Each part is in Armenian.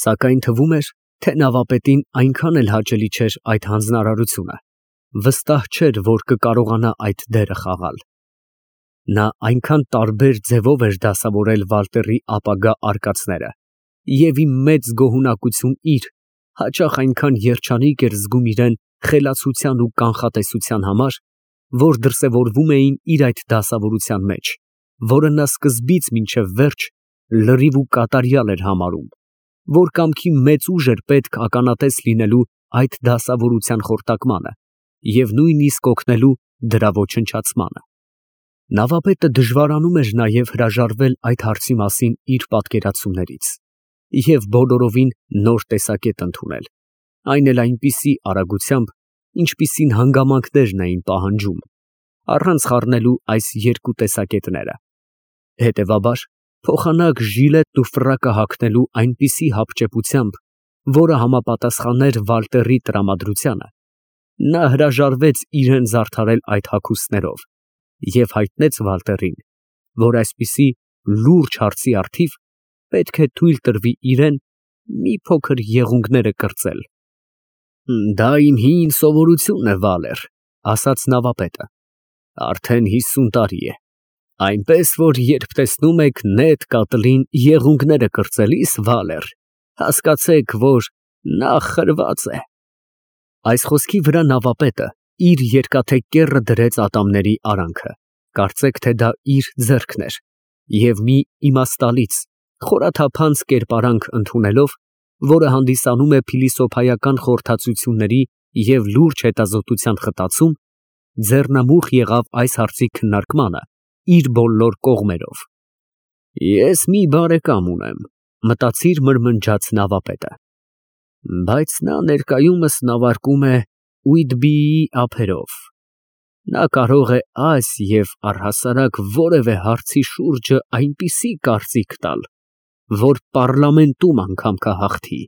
Սակայն թվում էր, թե նավապետին այնքան էլ հաճելի չէր այդ հանձնարարությունը, վստահ չէր, որ կկարողանա այդ դերը խաղալ։ Նա այնքան տարբեր ձևով էր դասավորել Վալտերի ապագա արկածները, և ի մեծ գոհունակություն իր, հաճախ այնքան երջանիկ էր զգում իրան խելացության ու կանխատեսության համար, որ դրսևորվում էին իր այդ դասավորության մեջ, որը նա սկզբից մինչև վերջ լրիվ ու կատարյալ էր համարում, որ կամքի մեծ ուժ էր պետք ականատես լինելու այդ դասավորության խորտակմանը և նույնիսկ օգնելու դրա ոչնչացմանը։ Նավապետը դժվարանում էր նաև հրաժարվել այդ հարցի մասին իր պատկերացումներից և բոլորովին նոր տեսակետ ընդունել, այն էլ այնպիսի արագությամբ, ինչպիսին հանգամանքներն էին պահանջում, առանց խառնելու այս երկու տեսակետները։ Հետևաբար, փոխանակ ժիլետն ու ֆրակը հագնելու այնպիսի հապճեպությամբ, որը համապատասխաներ Վալտերի տրամադրությանը, նա հրաժարվեց իրան զարդարել այդ հագուստներով և հայտնեց Վալտերին, որ այսպիսի լուրջ հարցի առթիվ պետք է թույլ տրվի իրան մի փոքր եղունգները կրծել։ «Դա իմ հին սովորությունն է, Վալեր, ֊ ասաց նավապետը, ֊ արդեն 50 տարի է, այնպես որ երբ տեսնում եք նետ կատլին եղունգները կրծելիս, Վալեր, հասկացեք, որ նա խրված է»։ Այս խոսքի վրա նավապետը իր երկաթե կեռը դրեց ատամների արանքը, կարծեք թե դա իր ձեռքն էր, և մի իմաստալից, խորաթափանց կերպարանք ընդունելով, որը հանդիսանում է փիլիսոփայական խորհրդածությունների և լուրջ հետազոտության խտացում, ձեռնամուխ եղավ այս հարցի քննարկմանը իր բոլոր կողմերով։ «Ես մի բարեկամ ունեմ, ֊ մտածիր մրմնջաց նավապետը, ֊ բայց նա ներկայումս նավարկում է Ուիտբիի ափերով. նա կարող է այս և առհասարակ որևէ հարցի շուրջը այնպիսի կարծիք տալ, որ պառլամենտում անգամ կհաղթի։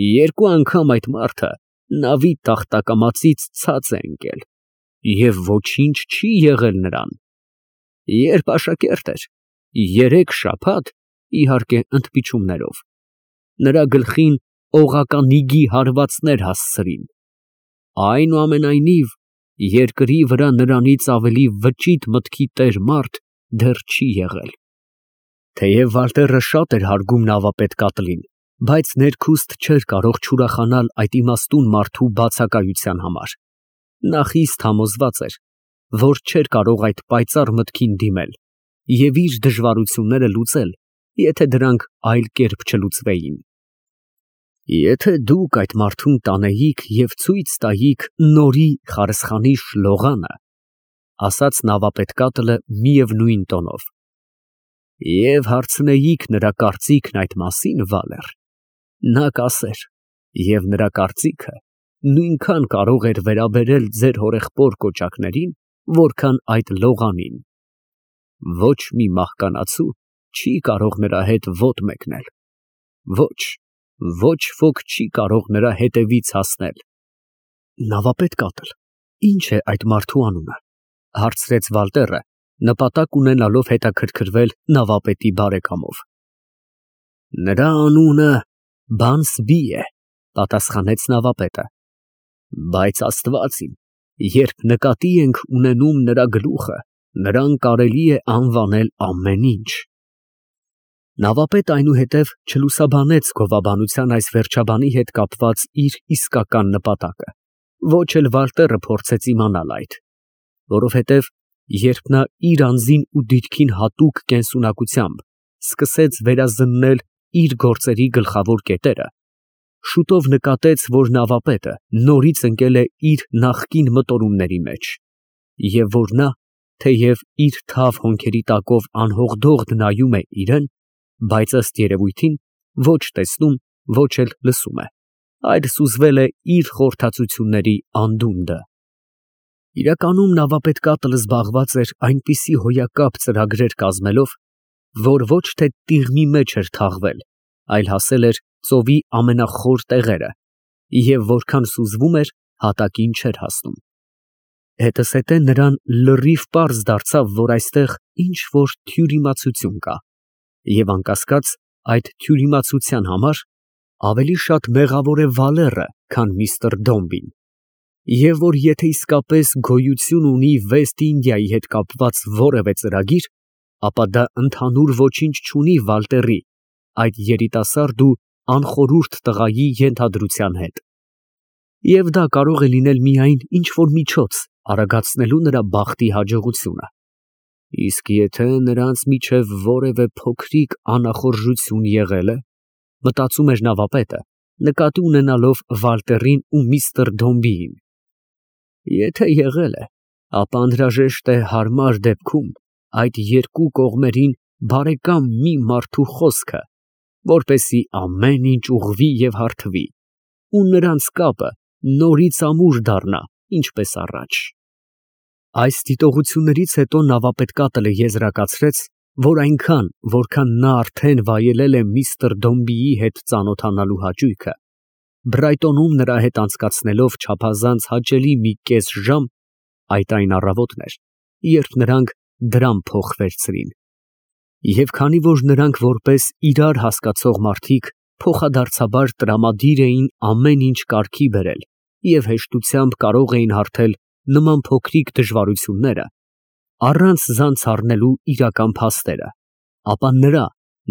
Երկու անգամ այդ մարդը նավի տախտակամածից ցած է ընկել և ոչինչ չի եղել նրան. երբ աշակերտ էր, 3 շաբաթ, իհարկե ընդմիջումներով, նրա գլխին օղականիգի հարվածներ հասցրին, այնուամենայնիվ երկրի վրա նրանից ավելի վճիտ մտքի տեր մարդ դեռ չի եղել։ Թեև Վալտերը շատ էր հարգում նավապետ Կատլին, բայց ներքուստ չէր կարող չուրախանալ այդ իմաստուն մարդու բացակայության համար։ Նա խիստ համոզված էր, որ չէր կարող այդ պայծառ մտքին դիմել և իր դժվարությունները լուծել, եթե դրանք այլ կերպ չլուծվեին։ Եթե դուք այդ մարդուն տանեիք և ցույց տայիք նորի խարսխանի շլողանը, ֊ ասաց նավապետ Կատլը միևնույն տոնով, ֊ և հարցնեիք նրա կարծիքն այդ մասին, Վալեր, նա կասեր, և նրա կարծիքը նույնքան կարող էր վերաբերել ձեր հորեղբոր կոճակներին, որքան այդ լողանին։ Ոչ մի մահկանացու չի կարող նրա հետ ոտ մեկնել, ոչ ոք չի կարող նրա հետևից հասնել։ Նավապետ Կատլ, ի՞նչ է այդ մարդու անունը, ֊ հարցրեց Վալտերը, նպատակ ունենալով հետաքրքրվել նավապետի բարեկամով։ Նրա անունը Բանսբի է, ֊ պատասխանեց նավապետը, բայց Աստված իմ, երբ նկատի ենք ունենում նրա գլուխը, նրան կարելի է անվանել ամեն ինչ։ Նավապետը այնուհետև չլուսաբանեց գովաբանության այս վերջաբանի հետ կապված իր իսկական նպատակը, ոչ էլ Վալտերը փորձեց իմանալ այդ, որովհետև երբ նա իր անձին ու դիրքին հատուկ կենսունակությամբ սկսեց վերազննել իր գործերի գլխավոր կետերը, շուտով նկատեց, որ նավապետը նորից ընկել է իր նախկին մտորումների մեջ, և որ նա, թեև իր թավ հոնքերի տակով անհողդողդ նայում է իրան, բայց ըստ երևույթին ոչ տեսնում, ոչ էլ լսում է, այլ սուզվել է իր խորհրդածությունների անդունդը։ Իրականում նավապետ Կատլը զբաղված էր այնպիսի հոյակապ ծրագրեր կազմելով, որ ոչ թե տիղմի մեջ էր թաղվել, այլ հասել էր ծովի ամենախոր տեղերը և որքան սուզվում էր, հատակին չէր հասնում։ Հետզհետե նրան լրիվ պարզ դարձավ, որ այստեղ ինչ֊որ թյուրիմացություն կա, և անկասկած այդ թյուրիմացության համար ավելի շատ մեղավոր է Վալերը, քան միստր Դոմբին, և որ եթե իսկապես գոյություն ունի Վեստ Ինդիայի հետ կապված որևէ ծրագիր, ապա դա ընդհանուր ոչինչ չունի Վալտերի, այդ երիտասարդ ու անխորհուրդ տղայի ենթադրության հետ, և դա կարող է լինել միայն ինչ֊որ միջոց արագացնելու նրա բախտի հաջողությունը, իսկ եթե նրանց միջև որևէ փոքրիկ անախորժություն եղել է, մտածում էր նավապետը, նկատի ունենալով Վալտերին ու միստր Դոմբիին, եթե եղել է, ապա անհրաժեշտ է հարմար դեպքում այդ երկու կողմերին բարեկամ մի մարդու խոսքը, որպեսզի ամեն ինչ ուղղվի և հարթվի, ու նրանց կապը նորից ամուր դառնա, ինչպես առաջ։ Այս դիտողություններից հետո նավապետկատլը եզրակացրեց, որ այնքան, որքան նա արդեն վայելել է միստր Դոմբիի հետ ծանոթանալու հաճույքը, Բրայտոնում նրա հետ անցկացնելով չափազանց հաճելի մի կես ժամ, այդ այն առավոտն էր, երբ նրանք դրամ փոխ վերցրին, և քանի որ նրանք որպես իրար հասկացող մարդիկ փոխադարձաբար տրամադիր էին ամեն ինչ կարգի բերել և հեշտությամբ կարող էին հարթել նման փոքրիկ դժվարությունները, առանց զանց առնելու իրական փաստերը, ապա նրա,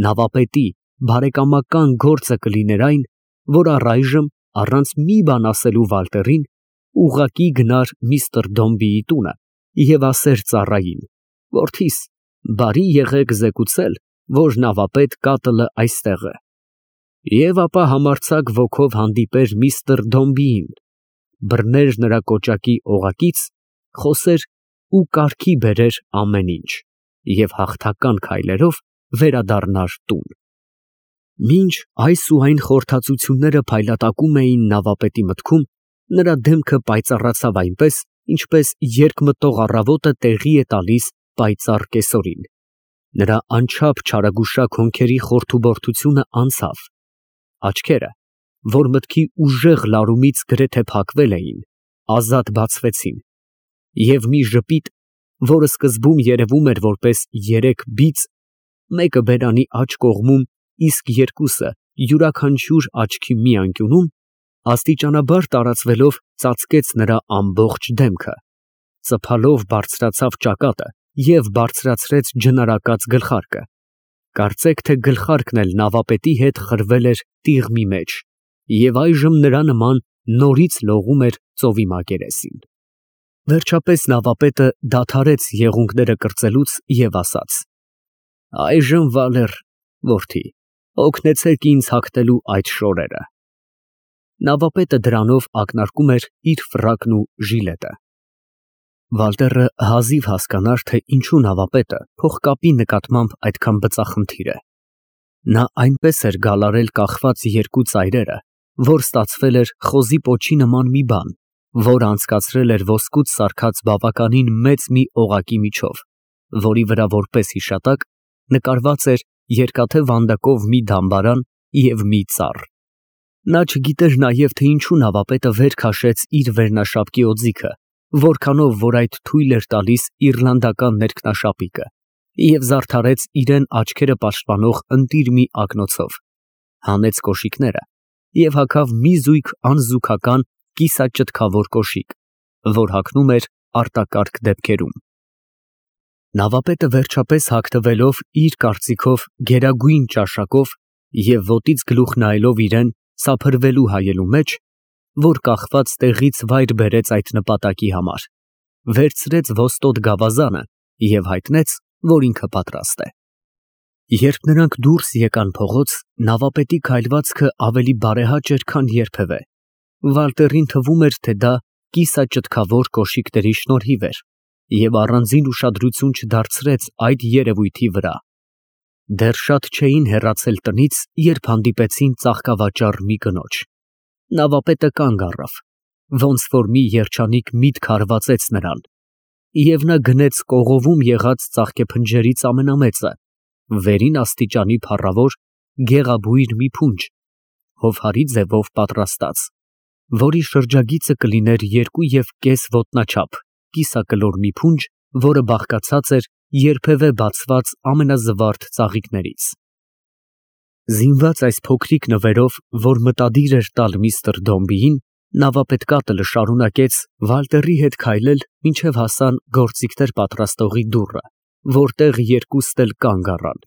նավապետի, բարեկամական գործը կլիներ այն, որ առայժմ, առանց մի բան ասելու Վալտերին, ուղղակի գնար միստր Դոմբիի տունը և ասեր ծառային. «Որդիս, բարի եղեք զեկուցել, որ նավապետ կատլը այստեղ է», և ապա համարձակ ոգով հանդիպեր միստր Դոմբիին, բռներ նրա կոճակի օղակից, խոսեր ու կարգի բերեր ամեն ինչ և հաղթական քայլերով վերադառնար տուն։ Մինչ այս ու այն խորհրդածությունները փայլատակում էին նավապետի մտքում, նրա դեմքը պայծառացավ այնպես, ինչպես երկմտող առավոտը տեղի է տալիս պայծառ կեսօրին, նրա անչափ չարագուշակ հոնքերի խորթուբորթությունը անցավ, աչքերը, որ մտքի ուժեղ լարումից գրեթե փակվել էին, ազատ բացվեցին, և մի ժպիտ, որը սկզբում երևում էր որպես երեք բիծ, մեկը բերանի աջ կողմում, իսկ երկուսը յուրաքանչյուր աչքի մի անկյունում, աստիճանաբար տարածվելով ծածկեց նրա ամբողջ դեմքը, ծփալով բարձրացավ ճակատը և բարձրացրեց ջնարակած գլխարկը, կարծեք թե գլխարկն էլ նավապետի հետ խրվել էր տիղմի մեջ և այժմ նրա նման նորից լողում էր ծովի մակերեսին։ Վերջապես նավապետը դադարեց եղունգները կրծելուց և ասաց. «Այժմ Վալեր, որդի, օգնեցեք ինձ հագնելու այդ շորերը»։ Նավապետը դրանով ակնարկում էր իր ֆրակն ու ժիլետը։ Վալտերը հազիվ հասկանար, թե ինչու նավապետը փողկապի նկատմամբ այդքան բծախնդիր է։ Նա այնպես էր գալարել կախված երկու ծայրերը, որ ստացվել էր խոզի պոչի նման մի բան, որը անցկացրել էր ոսկուց սարքած բավականին մեծ մի օղակի միջով, որի վրա որպես հիշատակ նկարված էր երկաթե վանդակով մի դամբարան և մի ծառ։ Նա չգիտեր նաև, թե ինչու նավապետը վեր քաշեց իր վերնաշապկի օձիքը, որքանով որ այդ թույլ էր տալիս իռլանդական ներքնաշապիկը, և զարդարեց իրան աչքերը պաշտպանող ընտիր մի ակնոցով, հանեց կոշիկները և հագավ մի զույգ անզուգական կիսաճտքավոր կոշիկ, որ հագնում էր արտակարգ դեպքերում։ Նավապետը վերջապես հագնվելով իր կարծիքով գերագույն ճաշակով և ոտից գլուխ նայելով իրան սափրվելու հայելու մեջ, որ կախված տեղից վայր բերեց այդ նպատակի համար, վերցրեց ոստոտ գավազանը և հայտնեց, որ ինքը պատրաստ է։ Երբ նրանք դուրս եկան փողոց, նավապետի քայլվածքը ավելի բարեհաճ էր, քան երբևէ։ Վալտերին թվում էր, թե դա կիսաճտքավոր կոշիկների շնորհիվ էր և առանձին ուշադրություն չդարձրեց այդ երևույթի վրա։ Դեռ շատ չէին հեռացել տնից, երբ հանդիպեցին ծաղկավաճառ մի կնոջ։ Նավապետը կանգ առավ, ոնց որ մի երջանիկ միտք հարվածեց նրան, և նա գնեց կողովում եղած ծաղկեփնջերից ամենամեծը, վերին աստիճանի փառավոր, գեղաբույր մի փունջ, հովհարի ձևով պատրաստած, որի շրջագիծը կլիներ 2,5 ոտնաչափ, կիսակլոր մի փունջ, որը բաղկացած էր երբևէ բացված ամենազվարթ ծաղիկներից։ Զինված այս փոքրիկ նվերով, որ մտադիր էր տալ միստր Դոմբիին, նավապետկատը շարունակեց Վալտերի հետ քայլել, մինչև հասան գործիքներ պատրաստողի դուռը, որտեղ երկուստ էլ կանգ առան։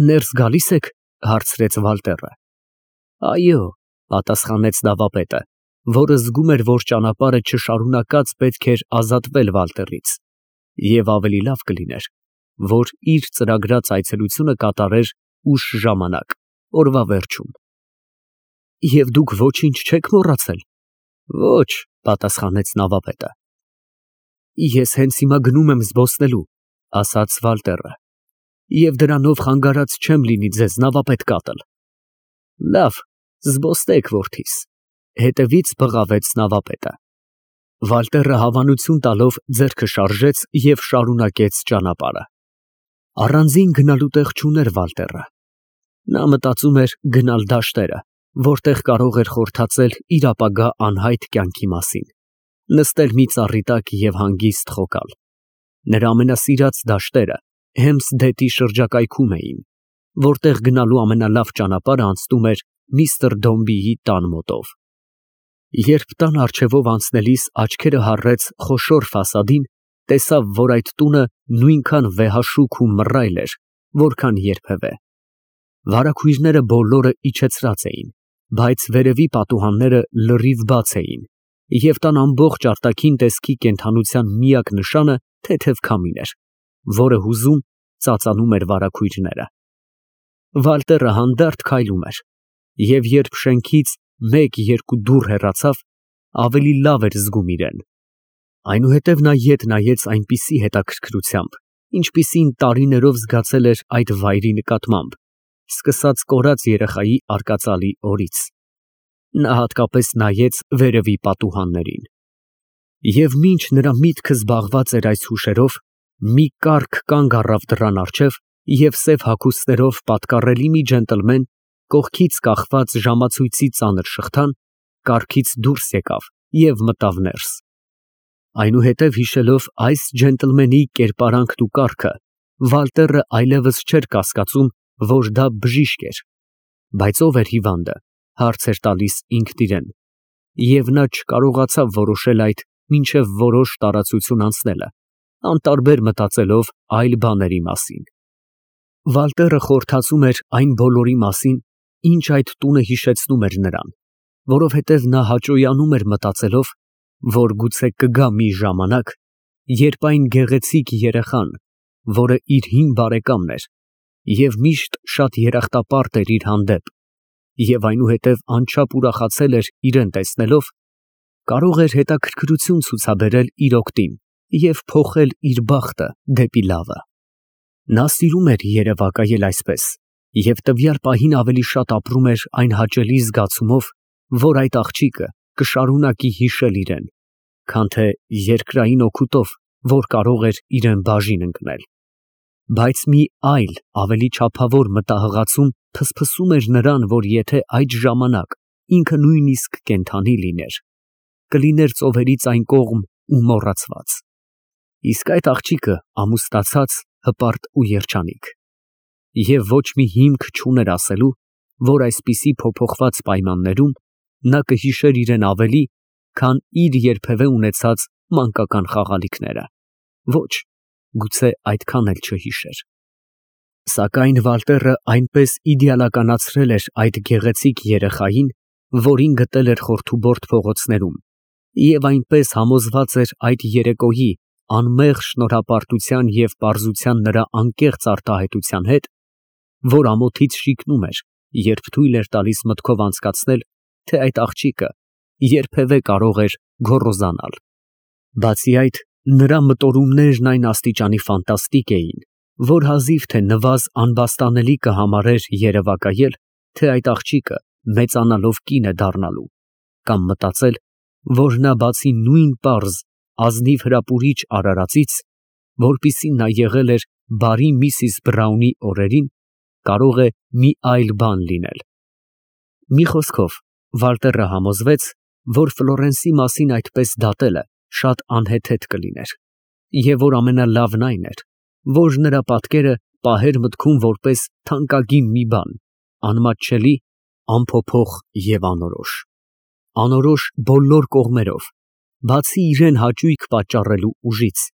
«Ներս գալի՞ս եք», հարցրեց Վալտերը։ «Այո», պատասխանեց նավապետը, որը զգում էր, որ ճանապարհը չշարունակած պետք էր ազատվել Վալտերից, և ավելի լավ կլիներ, որ իր ծրագրած այցելությունը կատարեր ուշ ժամանակ, օրվա վերջում։ «Եվ դուք ոչինչ չեք մոռացել»։ «Ոչ», պատասխանեց նավապետը։ «Ես հենց հիմա գնում եմ զբոսնելու», ասաց Վալտերը, «և դրանով խանգարած չեմ լինի ձեզ նավապետ կատել»։ «Լավ, զբոսնեք, որդիս», հետևից բղավեց նավապետը։ Վալտերը հավանություն տալով ձեռքը շարժեց և շարունակեց ճանապարհը։ Առանձին գնալու տեղ չուներ Վալտերը։ Նա մտածում էր գնալ դաշտերը, որտեղ կարող էր խորհրդածել իր ապագա անհայտ կյանքի մասին, նստել մի ծառի տակ և հանգիստ խոկալ։ Նրա ամենասիրած դաշտերը Հեմփսդեթի շրջակայքում էին, որտեղ գնալու ամենալավ ճանապարհը անցնում էր միստր Դոմբիի տան մոտով։ Երբ տան առջևով անցնելիս աչքերը հառեց խոշոր ֆասադին, տեսավ, որ այդ տունը նույնքան վեհաշուք ու մռայլ էր, որքան երբևէ։ Վարագույրները բոլորը իջեցրած էին, բայց վերևի պատուհանները լրիվ բաց էին, և տան ամբողջ արտաքին տեսքի կենդանության միակ նշանը թեթև քամին էր, որը հուզում ծածանում էր վարագույրները։ Վալտերը հանդարտ քայլում էր, և երբ շենքից մեկ֊երկու դուռ հեռացավ, ավելի լավ էր զգում իրեն։ Այնուհետև նա ետ նայեց այնպիսի հետաքրքրությամբ, ինչպիսին տարիներով զգացել էր այդ վայրի նկատմամբ, սկսած կորած երեխայի արկածալի օրից։ Նա հատկապես նայեց վերևի պատուհաններին։ Եվ մինչ նրա միտքը զբաղված էր այս հուշերով, մի կառք կանգ առավ դռան առջև, և սև հագուստներով պատկառելի մի ջենտլմեն, կողքից կախված ժամացույցի ծանր շղթան, կառքից դուրս եկավ և մտավ ներս։ Այնուհետև հիշելով այս ջենտլմենի կերպարանքն ու կառքը, Վալտերը այլևս չէր կասկածում, որ դա բժիշկ էր։ Բայց ո՞վ էր հիվանդը, հարց էր տալիս ինքն իրեն, և նա չկարողացավ որոշել այդ մինչև որոշ տարածություն անցնելը, անտարբեր մտածելով այլ բաների մասին։ Վալտերը խորհրդածում էր այն բոլորի մասին, ինչ այդ տունը հիշեցնում էր նրան, որովհետև նա հաճոյանում էր մտածելով, որ գուցե կգա մի ժամանակ, երբ այն գեղեցիկ երեխան, որը իր հին բարեկամն էր և միշտ շատ երախտապարտ էր իր հանդեպ, և այնուհետև անչափ ուրախացել էր իրեն տեսնելով, կարող էր հետաքրքրություն ցուցաբերել իր օգտին և փոխել իր բախտը դեպի լավը։ Նա սիրում էր երևակայել այսպես և տվյալ պահին ավելի շատ ապրում էր այն հաճելի զգացումով, որ այդ աղջիկը կշարունակի հիշել իրեն, քան թե երկրային օգուտով, որ կարող էր իրան բաժին ընկնել։ Բայց մի այլ, ավելի չափավոր մտահղացում փսփսում էր նրան, որ եթե այդ ժամանակ ինքը նույնիսկ կենդանի լիներ, կլիներ ծովերից այն կողմ ու մոռացված։ Իսկ այդ աղջիկը ամուսնացած, հպարտ ու երջանիկ։ Եվ ոչ մի հիմք չուներ ասելու, որ այսպիսի փոփոխված պայմաններում նա կհիշեր իրեն ավելի, քան իր երբևէ ունեցած մանկական խաղալիքները։ Ոչ, գուցե այդքան էլ չհիշեր։ Սակայն Վալտերը այնպես իդեալականացրել էր այդ գեղեցիկ երեխային, որին գտել էր խորթուբորտ փողոցներում, և այնպես համոզված էր այդ երեկոյի անմեղ շնորհապարտության և պարզության նրա անկեղծ արտահայտության հետ, որ ամոթից շիկնում էր, երբ թույլ էր տալիս մտքով անցկացնել, թե այդ աղջիկը երբևէ կարող էր գոռոզանալ։ Բացի այդ, նրա մտորումներն այն աստիճանի ֆանտաստիկ էին, որ հազիվ թե նվազ անբաստանելի կհամարեր երևակայել, թե այդ աղջիկը մեծանալով կին է դառնալու, կամ մտածել, որ նա բացի նույն պարզ, ազնիվ հրապուրիչ արարածից, որպիսին նա եղել էր բարի Միսիս Բրաունի օրերին, կարող է մի այլ բան լինել։ Մի խոսքով, Վալտերը համոզվեց, որ Ֆլորենսի մասին այդպես դատելը շատ անհեթեթ կլիներ, և որ ամենալավն այն էր, որ նրա պատկերը պահեր մտքում որպես թանկագին մի բան, անմատչելի, անփոփոխ և անորոշ։ Անորոշ բոլոր կողմերով, բացի իրան հաճույք պատճառելու ուժից,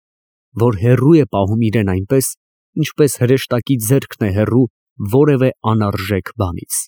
որ հեռու է պահում իրան այնպես, ինչպես հրեշտակի ձեռքն է հեռու որևէ անարժեք բանից։